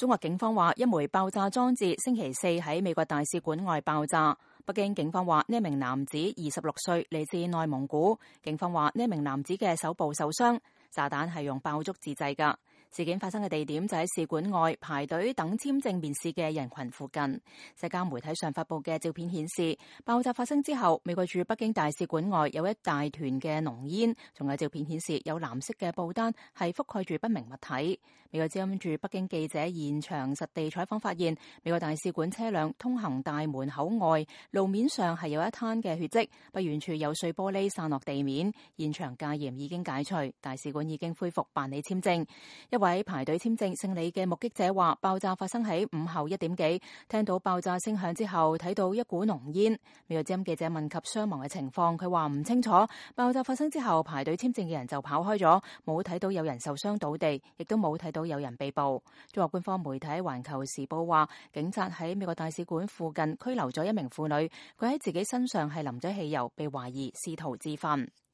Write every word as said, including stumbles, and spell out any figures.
中國警方話，一枚爆炸裝置星期四喺美國大使館外爆炸。北京警方話，呢一名男子二十六歲，嚟自內蒙古。警方話，呢一名男子嘅手部受傷，炸彈係用爆竹自製㗎。事件發生嘅地點就喺使館外排隊等簽證面試嘅人群附近。社交媒體上發布嘅照片顯示，爆炸發生之後，美國駐北京大使館外有一大團嘅濃煙，仲有照片顯示有藍色嘅布單係覆蓋住不明物體。美國之音駐北京記者現場實地採訪發現，美國大使館車輛通行大門口外路面上係有一灘嘅血跡，不遠處有碎玻璃散落地面。現場戒嚴已經解除，大使館已經恢復辦理簽證。一位排隊簽證姓李嘅目擊者話，爆炸發生喺午後一點幾，聽到爆炸聲響之後睇到一股濃煙。美國之音記者問及傷亡嘅情況，佢話唔清楚。爆炸發生之後排隊簽證嘅人就跑開咗，冇睇到有人受傷倒地，亦都冇睇到有人被捕。中國官方媒體環球時報話，警察喺美國大使館附近拘留咗一名婦女，佢喺自己身上係淋咗汽油，被懷疑試圖自焚。